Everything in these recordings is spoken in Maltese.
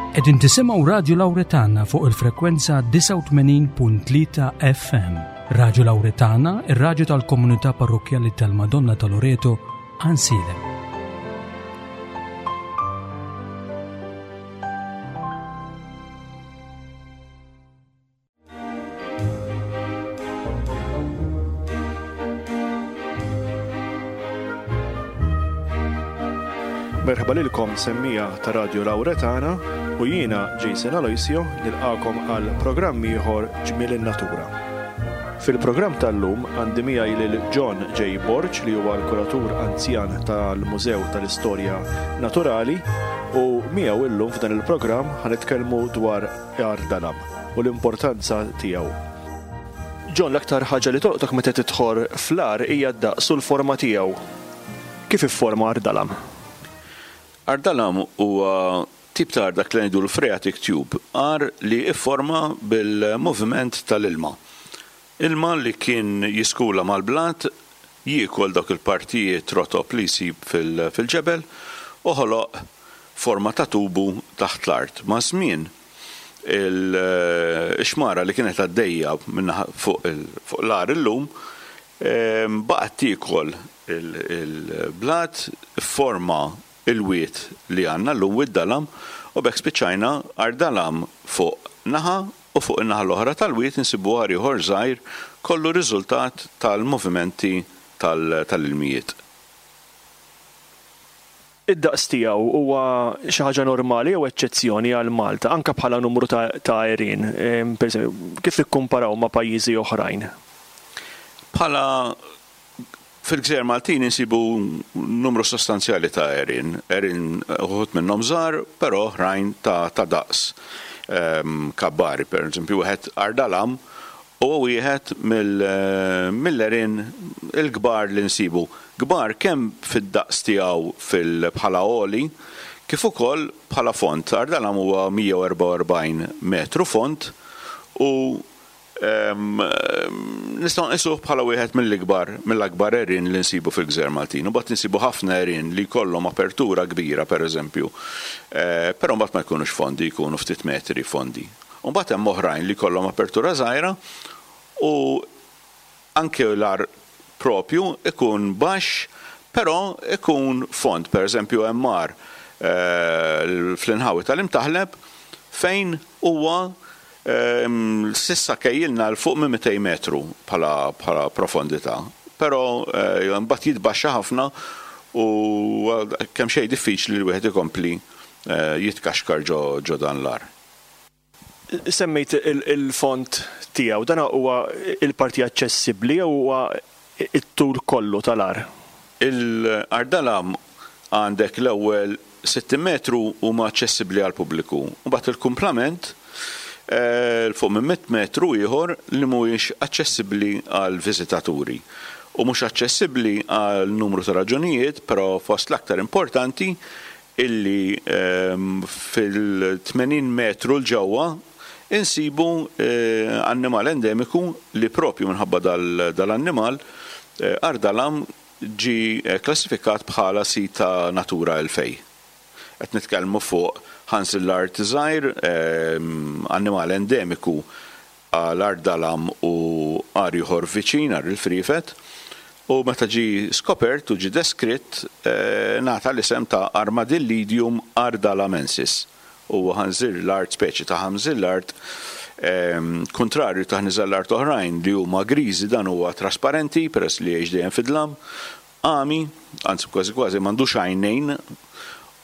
Qegħdin tisimgħu Radju Lawretana fuq il-frekwenza 89.3 FM. Radju Lawretana, ir-radju tal-komunità parrokkjali tal-Madonna ta' Loreto, Ansilem. Merħba lilkom semmija ta' Radio Lauretana u jiena Jason Aloisio nilqakom għal programm ieħor Ġmiel in-Natura. Fil-programm tal-lum għandi miegħi lil John J. Borg li huwa l-kuratur anzjan tal-Mużew tal-Istorja Naturali u miegħu illum f'dan il-programm ħanitkellmu dwar Għar Dalam u l-importanza tiegħu. John, l-aktar ħaġa li tolqtok meta tidħol fl-għar hija d-daqs u l-forma tiegħu. Kif ifforma Għar Dalam? Għar Dalam huwa tip ta' għar dak li ngħidulu phreatic tube, għar li fforma bil-moviment tal-ilma. Ilma li kien jiskula mal-blat, jiekol dawk il-partijiet rotob li jsib fil-ġebel u ħoloq forma ta' tubu taħt l-art. Maż-żmien, ix-xmara li kienet għaddejja fuq l-għar illum baqgħet tiekol il-blat, fforma il-wied li għandna llum, Wied Dalam, u b'hekk spiċċajna Għar Dalam fuq naħa u fuq in-naħa l-oħra tal-wied insibu għar ieħor żgħir kollu riżultat tal-movimenti tal-ilmijiet. Id-daqs tiegħu huwa xi ħaġa normali jew eċċezzjoni għal Malta, anke bħala numru ta' għerien, pereżempju, kif nikkumparaw ma' pajjiżi oħrajn? Bħala Fil-gżejjer Maltin insibu numru sostanzjali ta' għerien, għerien uħud minnhom żgħar, però oħrajn ta' ta' daqs kabbari. Per eżempju, wieħed Ardalam huwa wieħed mill-għerien il-kbar li nsibu. Kbar kemm fid-daqs tiegħu fil bħala għoli, kif ukoll bħala fond. Ardalam huwa 144 metru fond u Nistgħu nqisuh bħala wieħed mill-ikbar, mill-akbar għerien li nsibu fil-gżejjer Maltin. Imbagħad insibu ħafna għerien li jkollhom apertura kbira, pereżempju, però mbagħad ma jkunux fondi, jkunu ftit metri fondi. U mbagħad hemm oħrajn li jkollhom apertura żgħira u anke l-għar proprju ikun baxx però ikun fond. Pereżempju hemm għar fl-inħawi tal-Imtaħleb fejn huwa S'issa kejjilna 'l fuq minn 200 metru bħala profondità, però mbagħad jitbaxxa ħafna u kemxejn diffiċli li wieħed ikompli jitkaxkar ġo dan l-għar. Semmejt il-fond tiegħu, dan huwa l-parti aċċessibbli jew huwa it-tul kollu tal-għar? Il-Għar Dalam għandek l-ewwel 60 metru huma aċċessibbli għall-pubbliku, imbagħad il-kumplament 'l fuq minn 100 metru ieħor li mhuwiex aċċessibbli għall-viżitaturi. U mhux aċċessibbli għal numru ta' raġunijiet, però fost l-aktar importanti illi fil-80 metru 'l ġewwa insibu annimal endemiku li propju minħabba dal-annimal, Għar Dalam ġie klassifikat bħala sit ta' Natura 2000. Qed nitkellmu fuq ħanżir l-art żgħir, annimal endemiku għal Għar Dalam u għar ieħor viċin, Għar il-Friefet, u meta ġie skopert u ġie deskritt ngħata l-isem ta' Armadillidium ardalamensis. Huwa ħanżir l-art, speċi ta' ħanżir l-art, kuntrarju ta' ħnieżer l-art oħrajn li huma griżi dan huwa trasparenti peress li jgħix dejjem fid-dlam, għami, anzi kważi kważi m'għandux għajnejn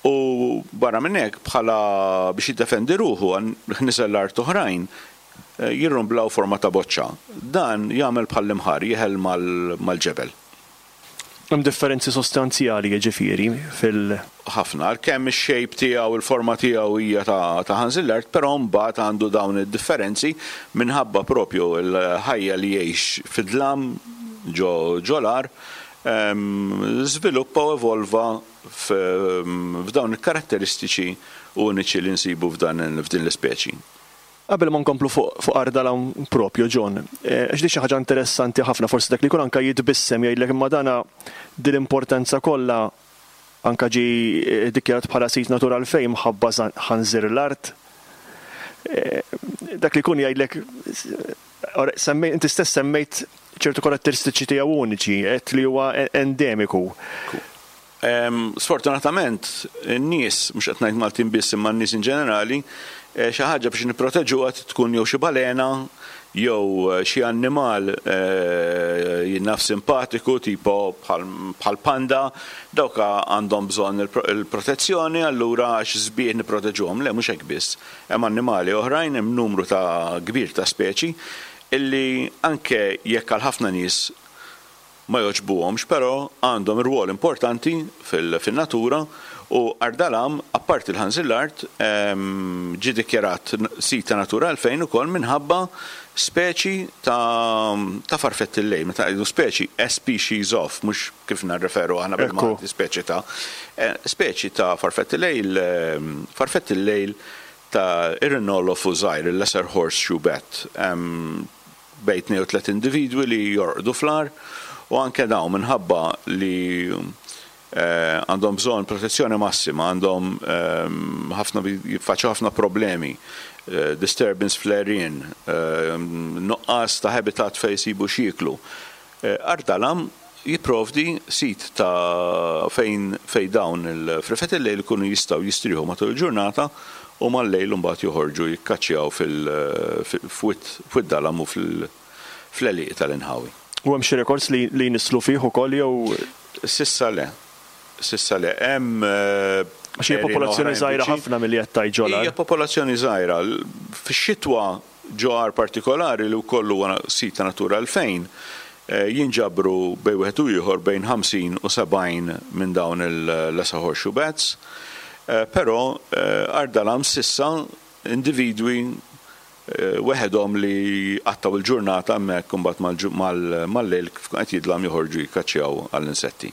u barra minn hekk bħala biex jiddefendi ruħu ħnieżer l-art oħrajn jirrumblaw forma ta' boċċa. Dan jagħmel bħall-imħar, jeħel mal-ġebel. Hemm differenzi sostanzjali jiġifieri fil-. Ħafna. Għalkemm ix-shape tiegħu, il-forma tiegħu hija ta' ħanżir l-art, però mbagħad għandu dawn id-differenzi minħabba propju l-ħajja li jgħix fid-dlam ġo l-għar, żviluppa u evolva f'dawn il-karatteristiċi uniċi li nsibu f'din l-ispeċi. Qabel ma nkomplu fuq fuq Ardalan propju, John, għax din xi ħaġa interessanti ħafna, forsi dak li jkun anke jitbissem jgħidlek imma dana din l-importanza kollha. Anke ġie ddikjarat bħala sit Natura 2000 mħabba ħanżir l-art. Dak li jkun jgħidlek, inti stess semmejt ċertu karatteristiċi tiegħu uniċi, għedt li huwa endemiku. Sfortunatament, in-nies, mhux qed ngħid Maltin biss imma n-nies in ġenerali, xi ħaġa biex nipproteġuha trid tkun jew xi balena jew xi annimal jien naf simpatiku tipo bħal panda, dawk għandhom bżonn il-protezzjoni allura għax sbieħ nipproteġuhom. Le, mhux hekk biss. Hemm annimali oħrajn, hemm numru ta' kbir ta' speċi illi anke jekk għal ħafna nies ma jogħġbuhomx però għandhom rwol importanti fin-natura u Ardalam, apparti l-ħanżir l-art, ġie dikjarat sit ta' Natura 2000 ukoll minħabba speċi ta' farfett il-lejl. Meta ngħidu speċi, a species of, mhux kif nirreferu aħna bil-Malti speċi ta'. Speċi ta' farfett il-lejl, farfett il-lejl ta' Irinolophus żgħir, il-lesser horseshoe bat. Bejn tnejn u tlett individwi li jorqdu fl-għar u anke dawn minħabba li għandhom bżonn protezzjoni massima, għandhom ħafna jiffaċċjaw ħafna problemi, disturbance fl-għerien, nuqqas ta' habitat fejn isibu x'jieklu. Għar Dalam jipprovdi sit ta' fejn fejn dawn il-frifet il-lejl ikunu jistgħu jistrieħu matul il-ġurnata u mal-lejl imbagħad joħorġu jikkaċċjaw fil-f'Wied Dalam u fl-għelieqi tal-inħawi. U hemm xi rekords li jnisslu fih ukoll jew? S'issa le. S'issa le. Hemm Għax hija popolazzjoni żgħira ħafna milli qed tgħid ġol-għar. Hija popolazzjoni żgħira. Fix-xitwa Ġo għar partikolari li wkoll huwa sit ta' Natura 2000, jinġabru bejn wieħed u ieħor bejn 50 u 70 minn dawn il-Lesser Horseshoe Bats. Però Għar Dalam s'issa individwi weħedhom li jqattgħu l-ġurnata hemmhekk u mbagħad mal-lejl kif ikun qed jidlam joħorġu jikkaċċjaw għall-insetti.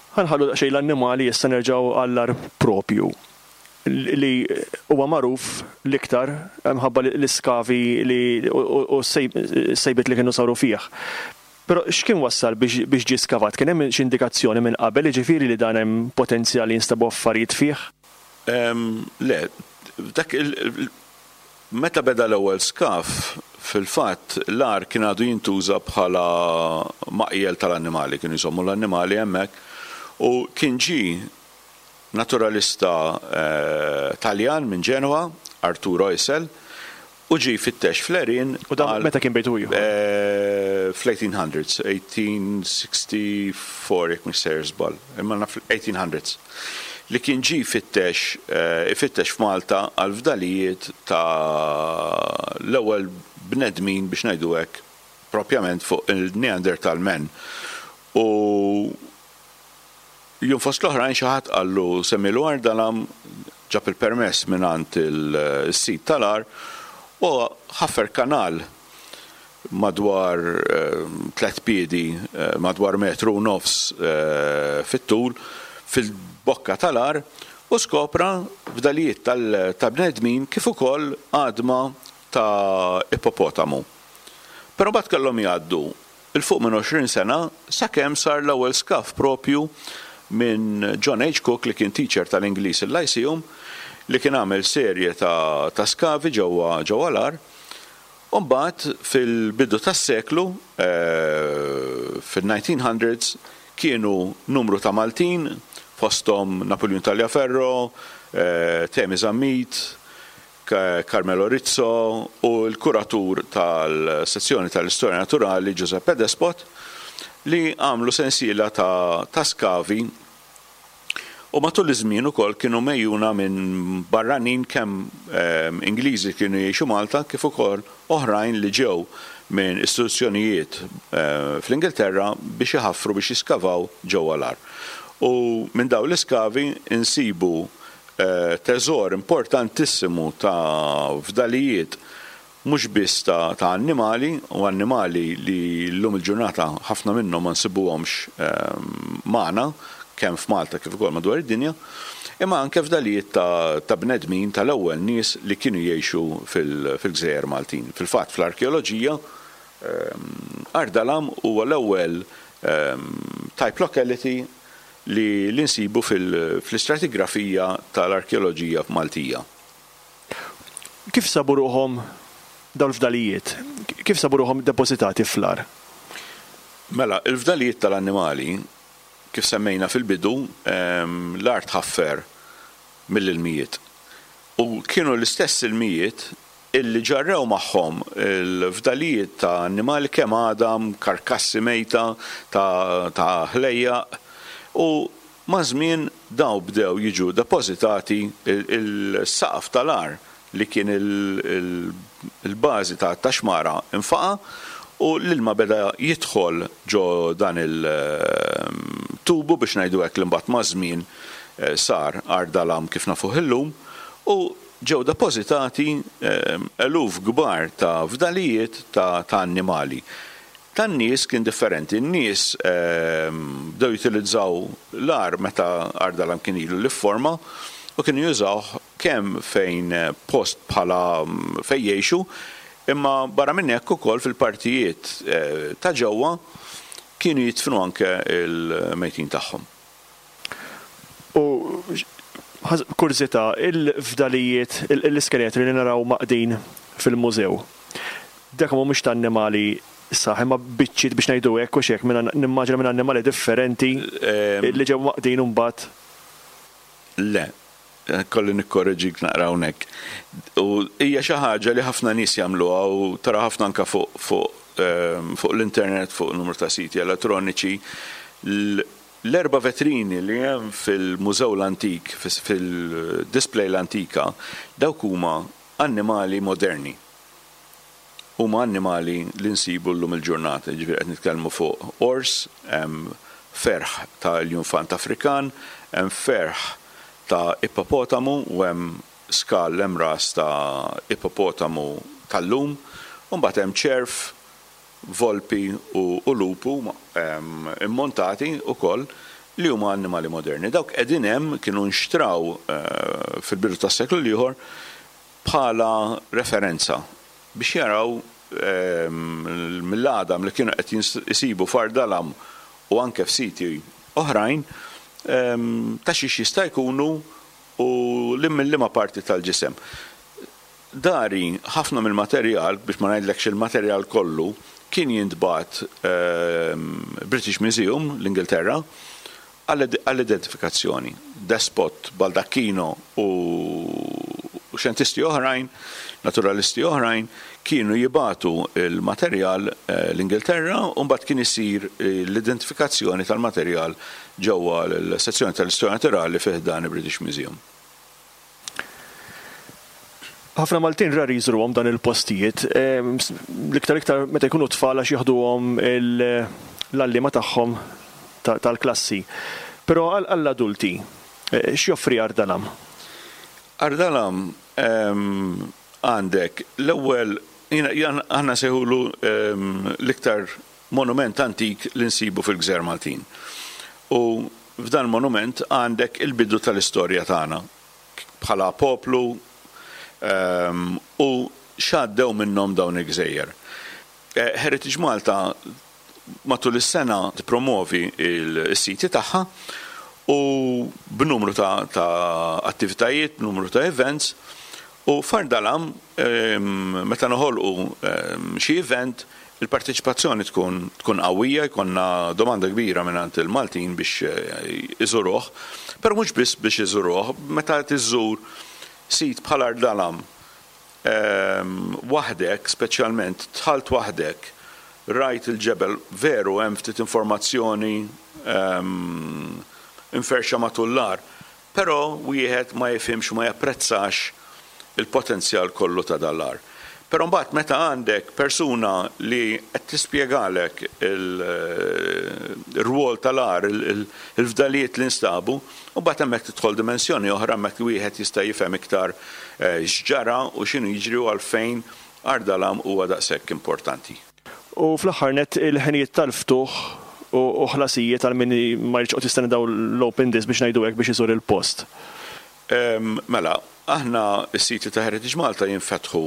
Ħa nħallu daqsxejn l-annimali issa nerġgħu għall-għar propju. li huwa magħruf l-iktar minħabba l-iskavi li u s-sejbiet li kienu saru fih. Però x'kien wassal biex ġie skavat? Kien hemm xi indikazzjoni minn qabel, jiġifieri li dan hemm potenzjal li jinstabu affarijiet fih? Le, dak il meta beda l-ewwel skav, fil-fatt l-għar kien għadu jintuża bħala maqjel tal-annimali, kienu jżommu l-annimali hemmhekk u kien ġie naturalista Taljan minn Ġenwa, Arturo Isel, u ġie jfittex fl-għerien U dan meta kien bejt u ieħor? Fl-1800s, 1864 jekk mhux sejjer żball, imma naf 1800s, li kien ġie jfittex ifittex f'Malta għal fdalijiet ta' l-ewwel bnedmin biex ngħidu hekk propjament fuq il-Neanderthal man. U Jum fost l-oħrajn xi ħadd qallu semmielu Ardalam, ġab il-permess mingħand is-sid tal-għar u ħaffer kanal madwar tlett piedi, madwar metru u nofs fit-tul fil-bokka tal-għar u skopra fdalijiet ta' bnedmin kif ukoll għadma ta' ippopotamu. Però mbagħad kellhom jgħaddu 'il fuq minn 20 sena sakemm sar l-ewwel skav proprju minn John H. Cook li kien teacher tal-Ingliż il-Lyceum li kien għamel serje ta' ta' skavi ġewwa ġewwa l-għar u mbagħad fil-bidu tas-seklu fin-1900s kienu numru ta' Maltin fosthom Napuljun Tagliaferro, Temi Zammit, Carmelo Rizzo u l-kuratur tal-Sezzjoni tal-Istorja Naturali Giuseppe Despot li għamlu sensiela ta' ta' skavi u matul iż-żmien ukoll kienu megħjuna minn barranin kemm Ingliżi li kienu jgħixu Malta kif ukoll oħrajn li ġew minn istituzzjonijiet fl-Ingilterra biex iħaffru biex jiskavaw ġewwa l-għar. U minn dawn l-iskavi nsibu teżor importantissimu ta' fdalijiet mhux biss ta' ta' annimali, u annimali li llum il-ġurnata ħafna minnhom ma nsibuhomx magħna, kemm f'Malta kif ukoll madwar id-dinja, imma anke fdalijiet ta' ta' bnedmin tal-ewwel nies li kienu jgħixu fil-gżejjer Maltin. Fil-fatt fl-arkeoloġija Għar Dalam huwa l-ewwel type locality. li li nsibu fl-istratigrafija tal-arkeoloġija Maltija. Kif sabu ruħhom dawn il-fdalijiet? Kif sabu ruħhom depożitati fl-għar? Mela, il-fdalijiet tal-annimali, kif semmejna fil-bidu, l-għar tħaffer mill-ilmijiet. U kienu l-istess ilmijiet illi ġarrew magħhom il-fdalijiet ta' annimali kemm għadam, karkassi mejta ta' ħlejjaq u maż-żmien dawn bdew jiġu depożitati il-saqaf tal-għar li kien il-bażi ta' xmara nfaqa' u l-ilma beda jidħol ġo dan il-tubu biex ngħidu hekk li mbagħad maż-żmien sar Għar Dalam kif nafuh illum u ġew depożitati eluf kbar ta' fdalijiet ta' annimali. Tan-nies kien differenti. In-nies bdew jutilizzaw l-għar meta Għar Dalam kien ilu li fforma u kienu jużawh kemm fejn post bħala fejn jgħixu imma barra minn hekk ukoll fil-partijiet ta' ġewwa kienu jidfnu anke l-mejtin tagħhom. U kurżità, il-fdalijiet, l-iskeletri li naraw mgħaqqdin fil-mużew, dak mhumiex ta' annimali sħaħ imma biċċiet biex ngħidu hekk hux hekk, nimmaġina minn annimali differenti li ġew mgħaqqdin u mbagħad. Le, kolli nikkoreġik naqra hawnhekk. U hija xi ħaġa li ħafna nies jagħmluha u tara ħafna anke fuq fuq fuq l-internet, fuq numru ta' siti elettroniċi. L-erba' vetrini li hemm fil-Mużew l-Antik, fil-display l-antika, dawk huma annimali moderni. Huma annimali li nsibu llum il-ġurnata, jiġifieri qed nitkellmu fuq ors, hemm ferħ ta' iljunfant Afrikan, hemm ferħ ta' ippopotamu u hemm skall hemm ras ta' ippopotamu tal-lum, u mbagħad hemm ċerv, volpi u lupu immontati wkoll li huma annimali moderni. Dawk qegħdin hemm kienu nxtraw fil-bidu tas-seklu l-ieħor bħala referenza biex jaraw mill-għadam li kienu qed isibu f'Għar Dalam u anke f'siti oħrajn ta' xiex jista' jkunu u minn liema parti tal-ġisem. Dari, ħafna mill-materjal, biex ma ngħidlekx il-materjal kollu, kien jintbagħat British Museum, l-Ingilterra, għall-identifikazzjoni. Despot, Baldacchino u xjentisti oħrajn, naturalisti oħrajn, kienu jibagħtu l-materjal l-Ingilterra u mbagħad kien isir l-identifikazzjoni tal-materjal ġewwa l-sezzjoni tal-Istorja Naturali fi ħdan il-British Museum. Ħafna Maltin rari jżuruhom dan il-postijiet, l-iktar iktar meta jkunu tfal għax jaħduhom l-għalliema tagħhom tal-klassi. Però għall-adulti, x'joffri Għar Dalam? Għar Dalam għandek l-ewwel, aħna nsejħulu l-iktar monument antik li nsibu fil-gżejjer Maltin. U f'dan il-monument għandek il-bidu tal-istorja tagħna bħala poplu u x'għaddew minnhom dawn il-gżejjer. Heritage Malta matul is-sena tippromovi s-siti tagħha u b'numru ta' attivitajiet, b'numru ta' events u f'Għar Dalam meta noħolqu xi event il-parteċipazzjoni tkun tkun qawwija, jkollna domanda kbira mingħand il-Maltin biex iżuruh, però mhux biss biex iżuruh, meta tiżżur sit bħal Għar Dalam waħdek, speċjalment dħalt waħdek, rajt il-ġebel, veru hemm ftit informazzjoni mferrxa matul l-għar, Però wieħed ma jifhimx u ma japprezzax il-potenzjal kollu ta' dan l-għar. Però mbagħad meta għandek persuna li qed tispjegalek ir-rwol tal-għar, il-fdalijiet li nstabu, u mbagħad hemmhekk tidħol dimensjoni oħra hemmhekk wieħed jista' jifhem iktar x'ġara u x'inhu jiġri u għalfejn Għar Dalam huwa daqshekk importanti. U fl-aħħar nett il-ħinijiet tal-ftuħ u ħlasijiet għal min ma jridx joqgħod jistenna dawn l-open days biex ngħidu hekk biex iżur il-post. Mela, aħna s-siti ta' Heritage Malta jinfetħu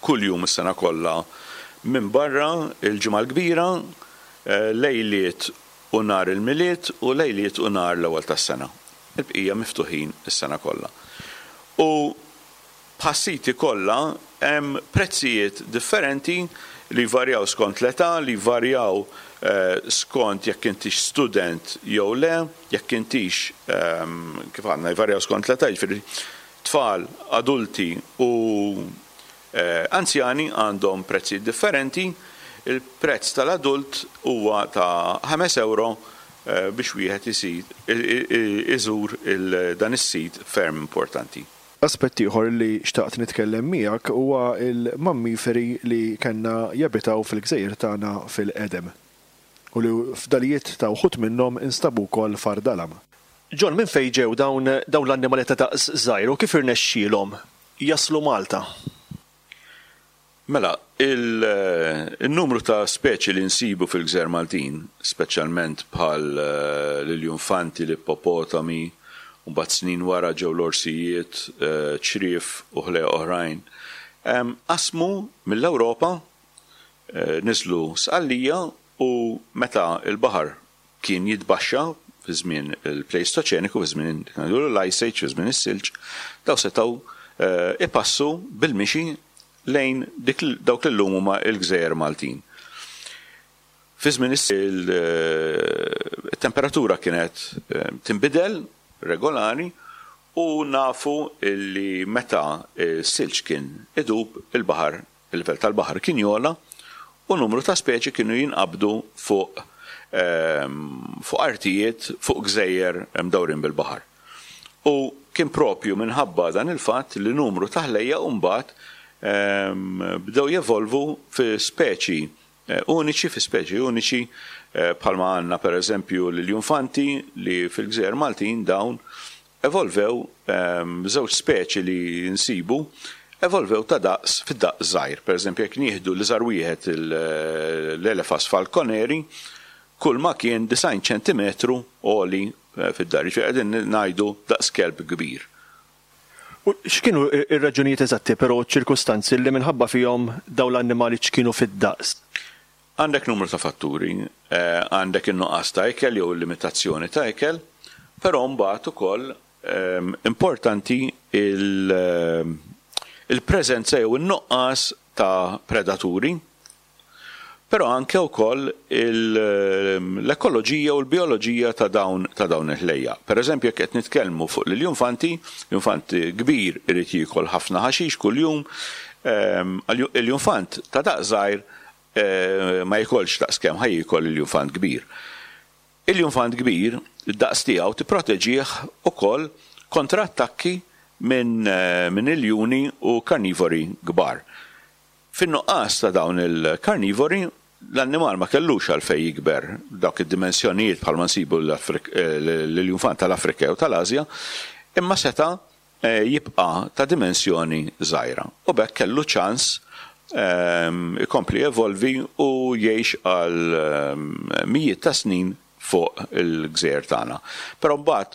kuljum is-sena kollha minbarra l-Ġimgħa l-Kbira, lejliet. u nhar il-Milied u lejliet u nhar l-Ewwel tas-Sena. Il-bqija miftuħin is-sena kollha. U bħas-siti kollha hemm prezzijiet differenti li jvarjaw skont l-età, li jvarjaw skont jekk intix student jew le, jekk intix, kif għadna, jvarjaw skont l-età, jiġifieri tfal, adulti u anzjani għandhom prezzijiet differenti. Il-prezz tal-adult huwa ta' ħames ewro biex wieħed iżur dan is-sit ferm importanti. Aspett ieħor li xtaqt nitkellem miegħek huwa l-mammiferi li kellna jabitaw fil-gżejjer tagħna fil-qedem u li fdalijiet ta' wħud minnhom instabu wkoll f'Għar Dalam. John, minn fejn ġew dawn dawn l-annimali ta' daqs żgħir u kif irnexxielhom jaslu Malta? Mela, il-numru ta' speċi li nsibu fil-gżejjer Maltin, speċjalment bħal l-iljunfanti, l-ippopotami, u mbagħad snin wara ġew l-orsijiet, ċriev u ħlejjaq oħrajn, qasmu mill-Ewropa, niżlu Sqallija u meta l-baħar kien jitbaxxa fi żmien il-Pleistoċeniku, fi żmien l-Ice Age, fi żmien is-silġ, dawn setgħu ipassu bil-mixi lejn dik dawk li llum huma l-gżejjer Maltin. Fi żmien il-temperatura kienet tinbidel regolari u nafu li meta s-silġ kien idub il-baħar, il-livell tal-baħar kien jogħla u numru ta' speċi kienu jinqabdu fuq fuq artijiet, fuq gżejjer mdawrin bil-baħar. U kien propju minħabba dan il-fatt li numru ta' ħlejjaq mbagħad bdew jevolvu fi speċi uniċi, fi speċi uniċi bħalma għandna pereżempju l-iljunfanti li fil-gżejjer Maltin dawn evolvew żewġ speċi li nsibu evolvew ta' daqs fid-daqs żgħir. Pereżempju jekk nieħdu l-iżgħar wieħed l-Elephas falconeri, kull ma kien 90 ċentimetru għoli fid-dar, jiġifieri qegħdin ngħidu daqs kelb kbir. U x'kienu r-raġunijiet eżatti però u ċ-ċirkustanzi li minħabba fihom dawn l-annimali ċkienu fid-daqs? Għandek numru ta' fatturi. Għandek in-nuqqas ta' ikel jew il-limitazzjoni ta' ikel, però mbagħad ukoll importanti il-preżenza jew in-nuqqas ta' predaturi Però anke wkoll l-ekoloġija u l-bijoloġija ta' dawn ta' dawn il-ħlejjaq. Pereżempju jekk qed nitkellmu fuq l-iljunfanti, l-iljunfant kbir irid jiekol ħafna ħaxix kuljum, iljunfant ta' daqs żgħir ma jikolx daqs kemm ħa jiekol iljunfant kbir. Iljunfant kbir, id-daqs tiegħu tipproteġih ukoll kontra attakki minn minn iljuni u karnivori kbar. Fin-nuqqas ta' dawn il-karnivori, l-annimal ma kellux għalfejn jikber dawk id-dimensjonijiet bħalma nsibu l-iljunfant tal-Afrika jew tal-Asja, imma seta' jibqa' ta' dimensjoni żgħira u b'hekk kellu ċans ikompli jevolvi u jgħix għal mijiet ta' snin fuq il-gżejjer tagħna. Però mbagħad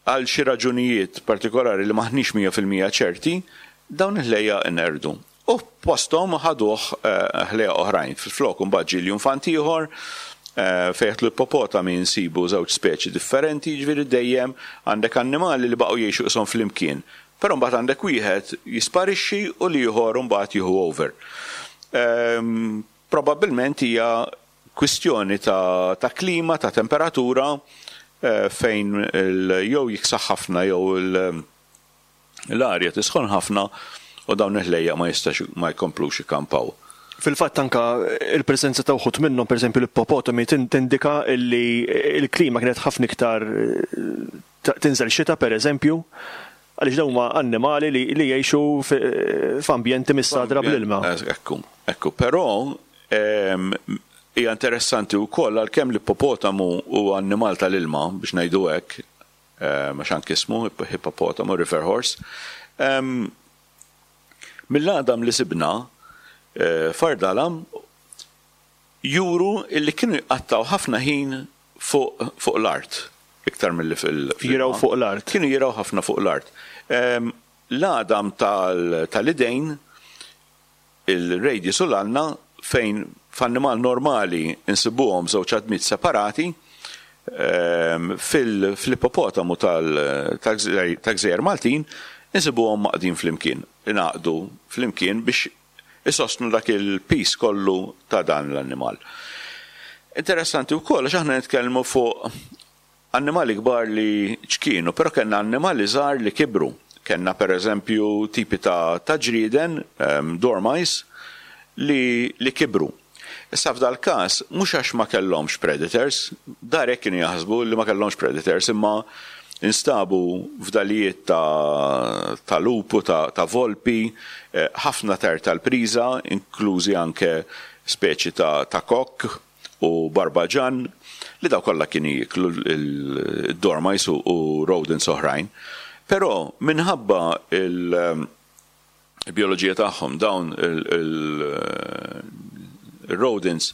għal xi raġunijiet partikolari li m'aħniex 100% ċerti, dawn il-ħlejjaq inqerdu. U posthom ħaduh ħlejjaq oħrajn. Flok imbagħad ġie l-junfant ieħor, fejn jidħlu l-ippopotami nsibu żewġ speċi differenti, jiġifieri dejjem għandek annimali li baqgħu jgħixu qishom flimkien. Però mbagħad għandek wieħed jisparixxi u l-ieħor imbagħad jieħu over. Probabbilment hija kwistjoni ta' ta' klima, ta' temperatura fejn jew jiksaħ ħafna jew l-arja tisħon ħafna u dawn il-ħlejjaq ma jistax ma jkomplux ikampaw. Fil-fatt anke l-preżenza ta' wħud minnhom, pereżempju l-ippopotami, tindika li l-klima kienet ħafna iktar tinżel xita pereżempju, għaliex dawn huma annimali li jgħixu f'ambjenti mistagħdra bl-ilma. Ekku, ekku. Però hija interessanti wkoll għalkemm l-ippopotamu huwa annimal tal-ilma biex ngħidu hekk, għax anki ismu hippopotamu, river horse, mill-għadam li sibna f'Ardalam juru li kienu jqattgħu ħafna ħin fuq fuq l-art iktar milli fil Jirgħu fuq l-art. Kienu jirgħu ħafna fuq l-art. L-għadam tal-idejn, il-radius u l-ulna fejn F'annimal normali nsibuhom żewġ għadmiet separati, fil-ippopotamu tal-gżejjer Maltin insibuhom mgħaqqdin flimkien, ingħaqdu flimkien biex isostnu dak il-piż kollu ta' dan l-annimal. Interessanti wkoll għax aħna nitkellmu fuq Annimali kbar li ċkienu, però kellna annimali żgħar li kibru. Kellna per eżempju tipi ta' ta' ġrieden, dormice, li li kibru. Issa f'dal-każ mhux għax ma kellhomx predators, dar hekk kienu jaħsbu li ma kellhomx predators imma instabu fdalijiet ta' ta' lupu, ta' ta' volpi, ħafna tajr tal-priża, inklużi anke speċi ta' ta' kokk. u barbaġann li dawn kollha kienu jieklu d-dormice u rodents oħrajn. Però minħabba l-bijoloġija tagħhom dawn il-rodents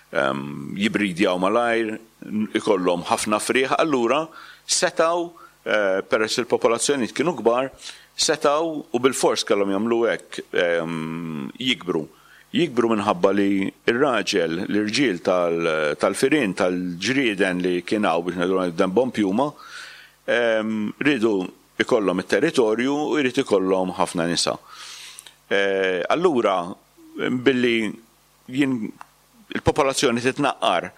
jibridjaw malajr, ikollhom ħafna frieħ, allura setgħu peress li l-popolazzjonijiet kienu kbar, setgħu u bilfors kellhom jagħmlu hekk jikbru. Jikbru minħabba li r-raġel, l-irġiel tal-firien, tal-ġrieden li kien hawn biex ngħidu dembhom piuma, riedu jkollhom it-territorju u jrid ikollhom ħafna nisa. Allura billi jien il-popolazzjoni titnaqqar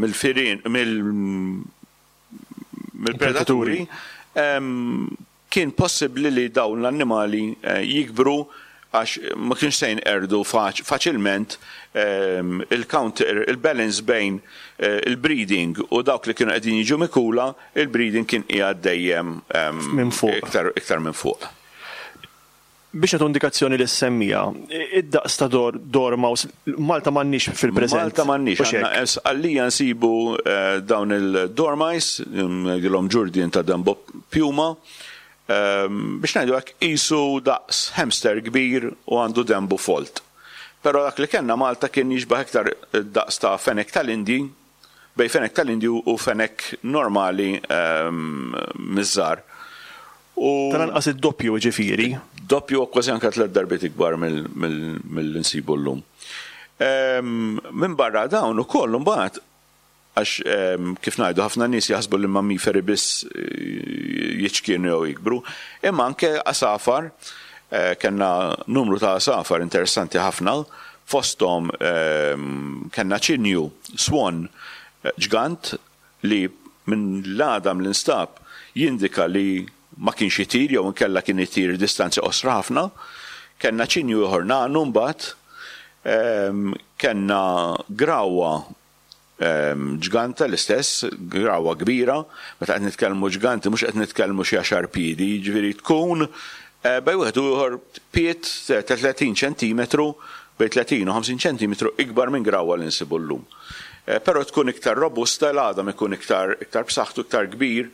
mill-firien, mill-predaturi, Kien possibbli li dawn l-annimali jikbru għax ma kienx se jinqerdu faċilment il-counter, il-balance bejn il-breeding u dawk li kienu qegħdin jiġu mikula, il-breeding kien qiegħed dejjem iktar minn fuq. Biex nagħtu indikazzjoni lis-semmiegħa, id-daqs ta' dormouse, Malta m'għandniex fil-preżent. Malta m'għandniex. Għandna Sqallija nsibu dawn il-dormice, ngħidilhom ġurdien ta' Dembo Puma, biex ngħidu hekk qisu daqs hamster kbir u għandu denbu folt. Però dak li kellna Malta kien jixbah iktar id-daqs ta' fenek tal-Indji, bejn fenek tal-Indju u fenek normali miż-żgħar. U. Tal-anqas id-doppju jiġifieri. Doppju u kważi anke tlett darbiet ikbar milli nsibu llum. Minbarra dawn ukoll imbagħad, għax kif ngħidu ħafna nies jaħsbu li l-mammiferi biss jiċkienu jew jikbru, imma anke għasafar, kellna numru ta' għasafar interessanti ħafna Fosthom kellna ċinju, swan, ġgant li minn l-għadam li nstab jindika li ma kienx itir jew inkella kien itir distanzi qosra ħafna. Kellna ċinju ieħor nagħnu mbagħad. Kellna grawwa Ġganta l-istess, grawwa kbira, meta qed nitkellmu ġganti mhux qed nitkellmu xi għaxar piedi, jiġifieri tkun bejn wieħed u ieħor pied ta' 30 ċentimetru, bejn 30 u 50 ċentimetru ikbar minn grawwa li nsibu llum. Però tkun iktar robusta, l-għadam ikun iktar iktar b'saħħtu, iktar kbir,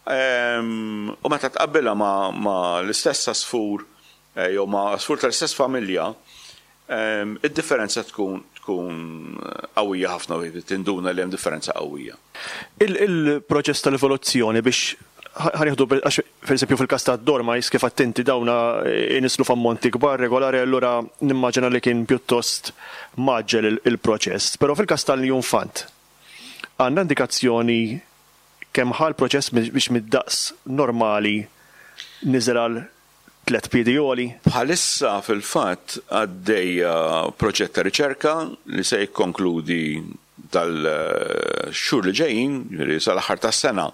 u meta tqabbilha ma' l-istess għasfur jew ma' għasfur tal-istess familja, Id-differenza tkun tkun qawwija ħafna u tinduna li hemm differenza qawwija. Il-proċess tal-evoluzzjoni biex ħa nieħdu għax pereżempju fil-każ tad-dormice kif għedt inti dawn inisslu f'ammonti kbar regolari allura nimmaġina li kien pjuttost mgħaġġel il-proċess. Però fil-każ tal-iljunfant għandna indikazzjoni kemm ħa l-proċess biex mid-daqs normali niżel għal tlett piedi għoli. Bħalissa fil-fatt għaddejja proġett ta' riċerka li se jikkonkludi dal-xhur li ġejjin, jiġifieri sal-aħħar tas-sena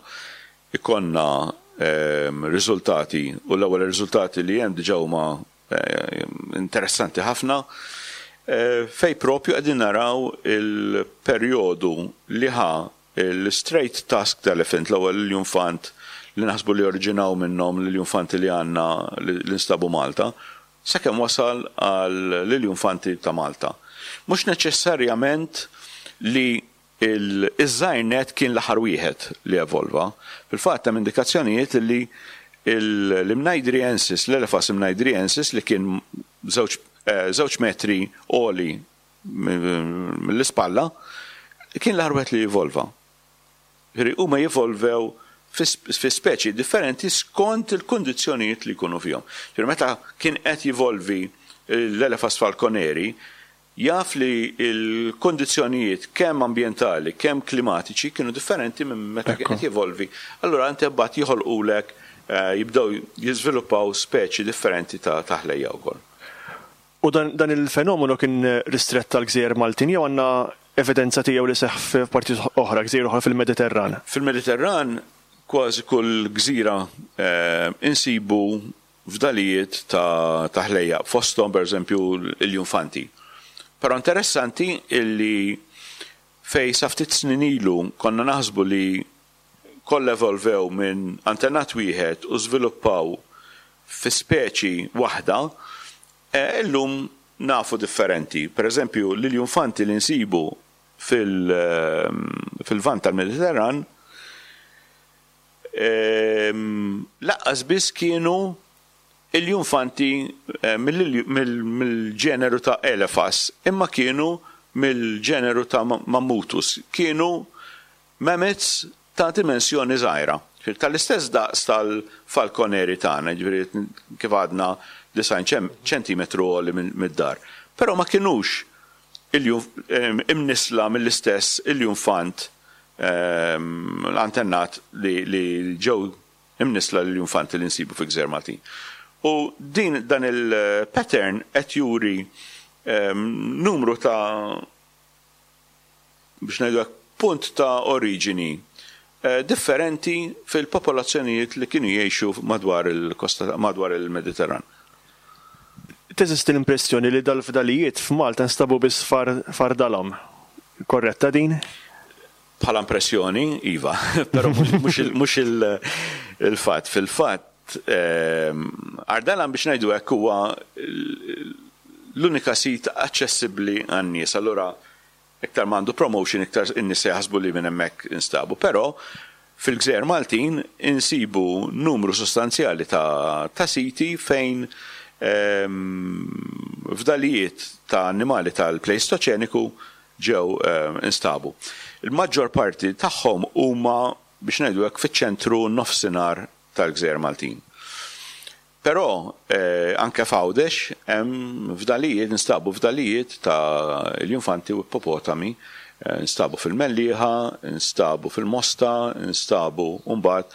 jkollna riżultati u l-ewwel riżultati li hemm diġà huma interessanti ħafna fejn propju qegħdin naraw il-perjodu li ħa L-straight tusked elephant, l-ewwel iljunfant li naħsbu li oriġinaw minnhom l-iljunfanti li għandna li nstabu Malta, sakemm wasal għall-iljunfanti ta' Malta. Mhux neċessarjament li ż-żgħir nett kien l-aħħar wieħed li evolva. Fil-fatt hemm indikazzjonijiet li l-Imnaidriensis, l-Elephas imnaidriensis li kien żewġ metri għoli mill-ispalla, kien l-aħħar wieħed li evolva. Jiġifieri huma jevolvew fi speċi differenti skont il-kundizzjonijiet li jkunu fihom. Jiġifieri meta kien qed jivolvi l-Elephas falconeri, jaf li l-kondizzjonijiet kemm ambjentali, kemm klimatiċi kienu differenti minn meta kien qed jevolvi. Allura inti mbagħad joħolqulek jibdew jiżviluppaw speċi differenti ta' ħlejja wkoll. U dan il-fenomenu kien ristrett għall-gżejjer Maltin jew għandna evidenza tiegħu li seħħ f'partijiet oħra, gżejjer oħra fil-Mediterran? Fil-Mediterran kważi kull gżira insibu fdalijiet ta' ħlejjaq, fosthom pereżempju l-iljunfanti. Però interessanti illi fejn sa ftit snin ilu konna naħsbu li kollha evolvew minn antenat wieħed u żviluppaw fi speċi waħda, illum nafu differenti. Pereżempju l-iljunfanti li nsibu fil-Lvant tal-Mediterran Laqqas biss kienu iljunfanti mill-ġeneru ta' Elephas, imma kienu mill-ġeneru ta' Mammuthus. Kienu mammoths ta' dimensjoni żgħira, tal-istess daqs tal-falkoneri tagħna, jiġifieri kif għadna 90 ċentimetru għoli mid-dar. Però ma kinux imnissla mill-istess iljunfant l-antennat li ġew imnissla lill-iljunfanti li nsibu fi gżejjer Maltin. U din dan il-pattern qed juri numru ta' biex ngħidu hekk punt ta' oriġini differenti fil-popolazzjonijiet li kienu jgħixu madwar il-kosta madwar il-Mediterran. Teżisti l-impressjoni li dal-fdalijiet f'Malta nstabu biss f'Ardalam. Korretta din? Bħala impressjoni, iva, però mhux il-fatt. Fil-fatt, Ardalam biex ngħidu hekk huwa l-unika sit aċċessibbli għan-nies. Allura Iktar ma għandu promotion iktar in-nies se jaħsbu li minn hemmhekk instabu. Però fil-gżejjer Maltin insibu numru sostanzjali ta' ta' siti fejn fdalijiet ta' annimali tal-Pleistoċeniku ġew instabu. Il-maġġor parti tagħhom huma biex ngħidu hekk fiċ-ċentru nofsinhar tal-gżejjer Maltin. Però anke f'Għawdex hemm fdalijiet, instabu fdalijiet ta' iljunfanti u ippopotami, instabu fil-Mellieħa, instabu fil-Mosta, instabu mbagħad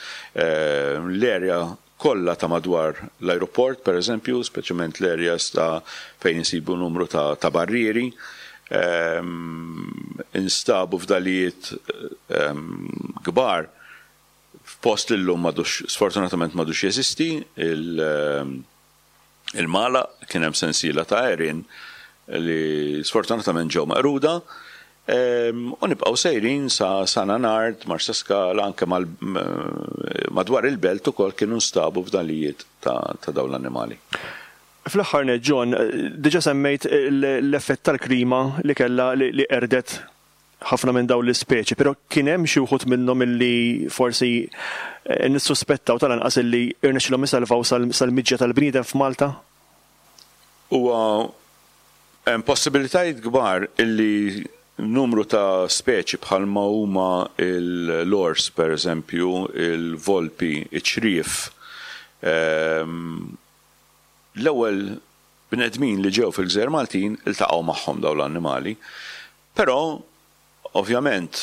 l-area kollha ta' madwar l-ajruport pereżempju, speċjalment l-areas ta' fejn insibu numru ta' barrieri, instabu fdalijiet kbar F'post li llum m'għadux, sfortunatament m'għadux jeżisti, il-Magħlaq, kien hemm sensiela ta' għerien li sfortunatament ġew meqruda. U nibqgħu sejrin sa San Anard, Marsaskala, anke madwar il-belt ukoll kienu nstabu fdalijiet ta' dawn l-annimali. Fl-aħħar nett, John, diġà semmejt l-effett tal-klima li kellha li qerdet ħafna minn dawn l-ispeċi, però kien hemm xi wħud minnhom illi forsi nissuspettaw tal-anqas illi rnexxilhom isalvaw sal-miġja tal-bniedem f'Malta? Huwa hemm possibilitajiet kbar illi numru ta' speċi bħalma huma l-ors pereżempju, il-volpi, iċ-ċriev, l-ewwel bnedmin li ġew fil-gżejjer Maltin iltaqgħu magħhom dawn l-annimali. Però, ovvjament,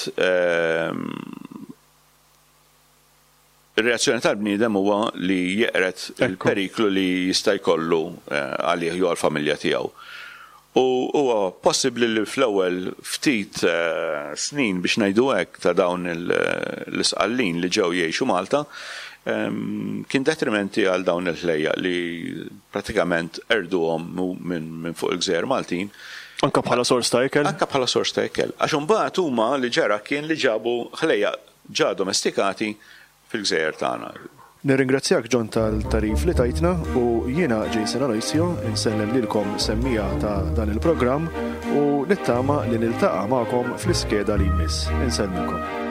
ir-reazzjoni tal-bniedem huwa li jeqred il-periklu li jista' jkollu għalih jew għall-familja tiegħu. U huwa possibbli li fl-ewwel ftit snin, biex ngħidu hekk, ta' dawn l-Isqallin li ġew jgħixu Malta, kien detrimenti għal dawn il-ħlejjaq li pratikament qerduhom minn fuq il-gżejjer Maltin. Anke bħala sors ta' ikel? Anke bħala sors ta' ikel. Għax imbagħad huma li ġara kien li ġabu ħlejjaq ġa domestikati fil-gżejjer tagħna. Nirringrazzjak John tal-tagħrif li tajtna u jiena Jason Aloisio insellem lilkom semmiegħa ta' dan il-programm u nittama li niltaqa' magħkom fl-iskeda li jmiss. Insellmilkom.